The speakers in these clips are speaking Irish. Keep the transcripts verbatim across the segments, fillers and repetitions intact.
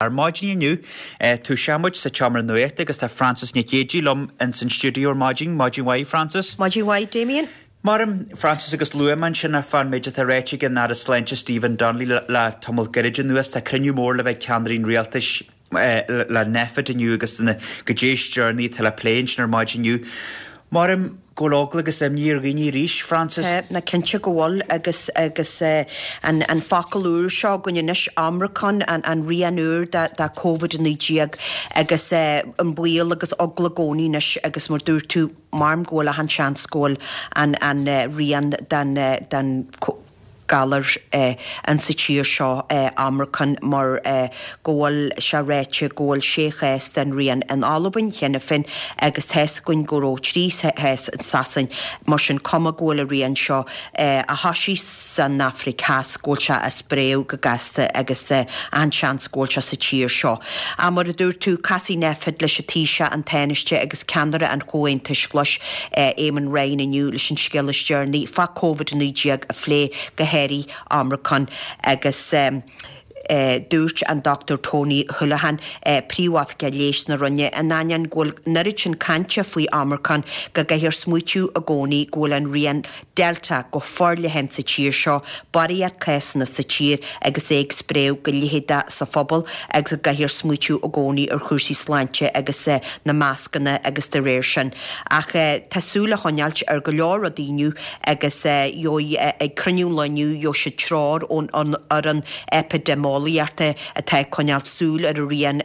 Ar maidin inniu tosaíonn muid sa tseomra nuachta agus tá Frances Nic Géadaigh liom ins an stiúideo ar maidin. Maidin mhaith, Frances. Maidin mhaith, Damien. Maram, Frances, agus luaigh mé ansin ar fán méid atá ráite ag an Aire Sláinte Stephen Donnelly le, le tamall gairid anuas. Tá cruinniú mór le bheith ag ceannairí an rialtais le Nphet inniu agus na goidé is deireanaí atá le plé ansin ar maidin inniu. Maram go bhfuil eagla agus imní ar dhaoine arís, Frances. Tá, ná cinnte go bhfuil agus agus an an focal úr seo againn anois, Omicron, an an rian úr de de Covid a naoi déag agus an baol agus eagla i gcónaí anois agus mar dúirt tú, maram go bhfuil achan seans go bhfuil an an rian den den galar insa tír seo, Omicron, mar go bhfuil sé ráite go bhfuil sé chás den rian in Albain cheana féin agus tá's againn go raibh trí chás in Sasain, mar sin cuma go bhfuil an rian seo a thoisigh san Afraic Theas, go bhfuil sé ag spréadh go gasta agus an-seans go bhfuil sé sa tír seo. Ach mar a dúirt tú, casfaidh Nphet leis an Taoiseach, an Tánaiste agus ceannaire an Chomhaontais Ghlais, Eamon Ryan inniu leis an scéal is deireanaí fá Covid a naoi déag a phlé, go háirithe Omicron agus dúirt an Dochtúir Tony Holohan, Príomhoifigeach Leighis na Roinne, in ainneoin go bhfuil an oiread sin cainte faoi Omicron go gcaithfear smaoitiú i gcónaí go bhfuil an rian Delta go forleathan sa tír seo, barraíocht cásanna sa tír agus é ag spréadh go leitheadach sa phobal agus go gcaithfear smaoitiú i gcónaí ar chúrsaí sláinte agus na mascanna agus de réir sin. Ach tá súil a choinneáilt ar go leor rudaí inniu agus gheobhaidh ag cruinniú an lae inniu gheobhaidh siad treoir ón fhoireann eipidéimeolaíochta atá ag coinneáilt súil ar an rian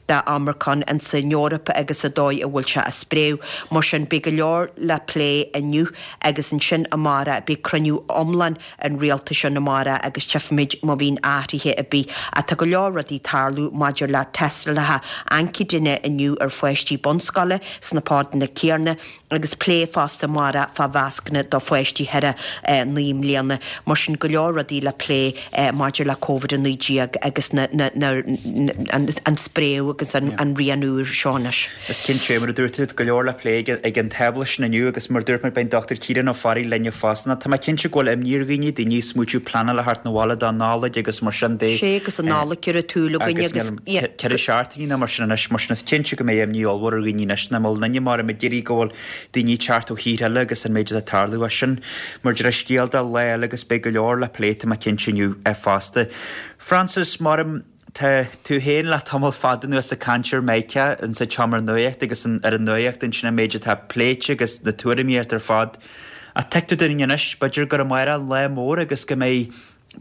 de Omicron insan Eoraip agus an dóigh a bhfuil sé ag spréadh. Mar sin beidh go leor le plé inniu agus ansin amárach beidh cruinniú iomlán an rialtais ann amárach agus tchífimid má bhíonn athruithe ar bith. Ach tá go leor rudaí ag tarlú maidir le tástálacha antaigine inniu ar pháistí bunscoile sna podanna céanna agus plé fosta amárach fá mhascanna do pháistí thar naoi mbliana. Mar sin go leor rudaí le plé maidir le Covid a naoi déag agus na na na an spréadh agus an rian úr seo anois. Is cinnte, mar a dúirt tú, go leor le plé ag an tábla sin inniu agus mar a dúirt mé beidh an Dochtúir Ciarán Ó Fearraigh linn fosta. Tá mé cinnte go bhfuil imní ar dhaoine, daoine ag smaoitiú pleanáil a theacht 'na bhaile don Nollaig agus mar sin de. Sé agus an Nollaig ar an tsúil againn agus ceithre seachtainí nó mar sin anois, mar sin is cinnte go mbeidh imní ollmhór ar dhaoine anois nach bhfuil duine mar ag iarraidh go bhfuil daoine ag teacht ó thíortha eile agus an méid atá ag tarlú as sin. Mar deir scéal do lá eile agus beidh go leor le plé tá mé cinnte inniu fosta. Frances, maram tá tú féin le tamall fada anuas ag caint ar Micah insa tseomra nuachta agus ar an nuacht ansin an méid atá pléite agus na tuairimí ort ar fad. Ach tuigtear dúinn anois, b'fhéidir gur amárach an lá mór agus go mbeidh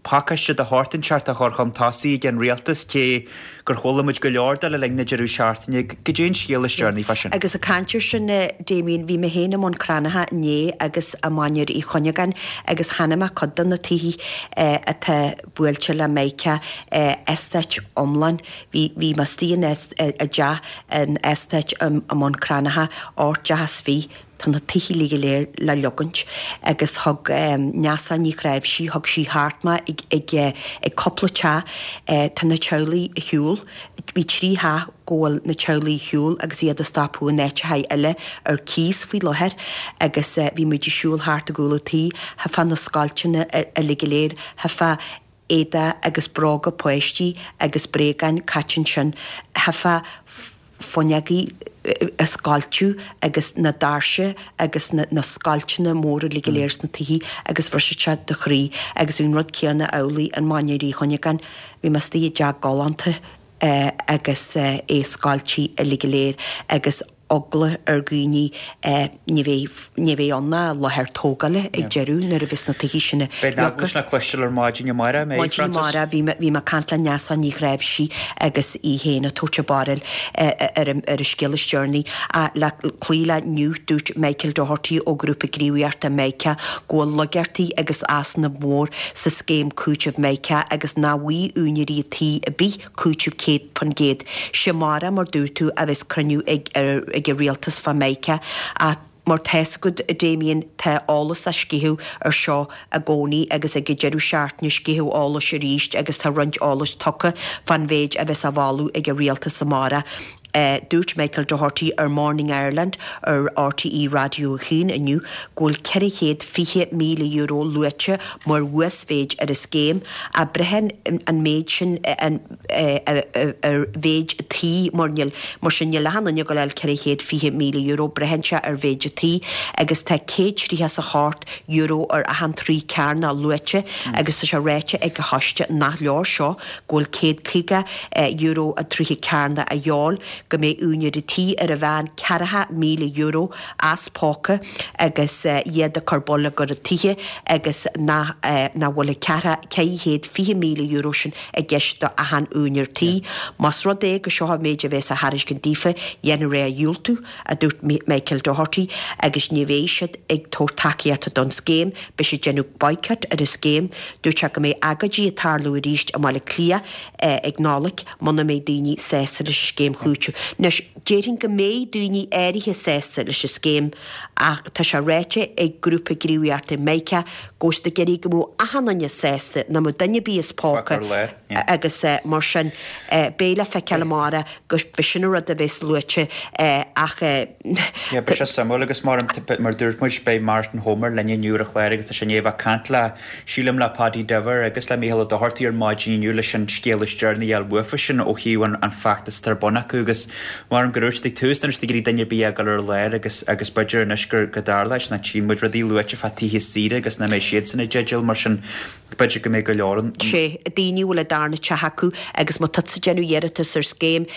pacáiste de shórt inteacht á chur chun tosaigh ag an rialtas, cé gur chuala muid go leor de le linn na deireadh seachtaine. Goidé an scéal is deireanaí fá sin? Agus ag caint ar sin, Damien, bhí mé féin i mBun Cranncha inné agus i Mainéar Uí Chuinneagáin agus chonaic mé cuid de na tithe atá buailte le Micah, eastáit iomlán. Bhí bhí mé istigh in i dteach in eastáit i mBun Cranncha, ocht dteach is fiche. Tá na tithe uilig go léir le leogaint agus thug Neasa Ní Chnáimhsí, thug sí thart mé ag ag ag cúpla teach, tá na teaghlaigh ar shiúl, bhí trí theach go bhfuil na teaghlaigh ar shiúl agus iad ag stopadh in áiteacha eile ar cíos faoi láthair agus bhí muid ag siúl thart i gcúl an tí, thifeá na scoilteanna uilig go léir, thifeá éadaí agus bróga páistí agus bréagáin caite ansin, thifeá fuinneogaí a scoilteadh agus na doirse agus na na scoilteanna móra uilig go léir sna tithe agus bhrisfeadh sé do chroí agus bhí an rud céanna amhlaidh i Mainéar Uí Chuinneagáin. Bhí mé istigh i dteach galánta agus é scoilte uilig go léir agus eagla ar dhaoine ní bheidh ní bheidh ann ach láthair tógála ag deireadh nuair a bheas na tithe sin Beidh an eagla sin le cloisteáil ar maidin amárach, an mbeidh, Maidin Frances? amárach bhí mé bhí mé ag caint le Neasa Ní Chnáimhsí agus í féin ag tabhairt a barúil ar an ar an scéal is deireanaí. Le cloí le inniu dúirt Michael Doherty ó Ghrúpa Gníomhaíochta Micah go bhfuil laigeachtaí agus easnamh mór sa scéim cúitimh Micah agus nach bhfaighidh úinéirí tí ar bith cúiteamh céad faoin gcéad. 'Sé amárach mar dúirt tú a bheas cruinniú ag ag an rialtas fá Micah ach Mar tá's agat a Damien tá eolas á sceitheadh ar seo i gcónaí agus ag an deireadh seachtaine sceitheadh eolais arís agus tá roinnt eolais tugtha fán mhéid a bheas á mholadh ag an rialtas amárach. Dúirt Michael Doherty ar Morning Ireland ar RTÉ Raidió a hAon inniu go bhfuil ceithre chéad fiche míle euro luaite mar uasmhéid ar an scéim ach braitheann an méid sin ar mhéid tí mar níl mar sin níl achan duine ag gabháil a fháil ceithre chéad fiche míle euro braitheann sé ar mhéid tí agus tá céad tríocha is a hocht euro ar achan troigh cearnach luaite agus tá sé ráite ag an choiste nach leor seo go bhfuil céad caoga euro an troigh cearnach a dhíobháil go mbeidh úinéirí tí ar a mheán ceathracha míle euro as póca agus iad ag cur bonneagar ar tithe agus nach bhfuil an ceathracha ceithre chéad fiche míle euro sin i gceist do achan úinéir tí. Más rud é go seo an méid a bheas á thairiscint daofa, dhéanfar é a dhiúltú, a dúirt Michael Doherty, agus ní bheidh siad ag tabhairt tacaíochta don scéim, beidh siad ag déanamh boycott ar an scéim. Dúirt sé go mbeidh agóidí ag tarlú arís i mBaile Átha Cliath ag Nollaig muna mbeidh daoine sásta leis an scéim chúitimh. Anois, déarfainn go mbeidh daoine áirithe sásta leis an scéim ach tá sé ráite ag grúpa gníomhaíochta Mica go bhfuil siad ag iarraidh go mbeadh achan duine sásta, nach mbeadh duine ar bith as póca agus mar sin beidh le feiceáil amárach go b'shin an rud a bheas luaite ach. Yeah, beidh sé suimiúil agus mar mar dúirt muid beidh Martin Homer linn inniu ar an chlár agus tá sé i ndiaidh a bheith ag caint le, sílim le Paddy Diver agus le Mícheál Ó Dochartaigh ar maidin inniu leis an scéal is deireanaí a fháil uafa sin ó thaobh an an feachtas atá ar bun acu agus mar go dúirt siad ag tús nuair ag iarraidh duine ar bith a ghoil ar lár agus agus b'fhéidir anois gur go dtarlóidh ná tchíonn muid rudaí luaite fá tithe saoire agus nach mbeidh siadsan i dteideal mar sin b'fhéidir go mbeidh go leor an. sé daoine a bhfuil a darna teach acu agus má tá tú ag déanamh iarratas ar scéim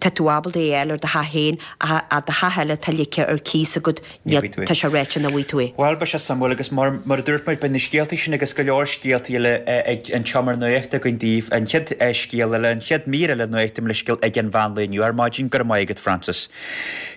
tá tú ábalta é a fháil ar do theach féin ach do theach eile atá ligthe ar cíos agat níl tá sé ráite nach bhfaighidh tú é. Bhuel beidh sé suimiúil agus mar mar a dúirt muid beidh na scéaltaí sin agus go leor scéaltaí eile ag an tseomra nuachta againn daoibh. An chéad scéal eile, an chéad mír eile nuachta le scéal ag an mheán lae inniu ar maidin. Go raibh maith agat Francis.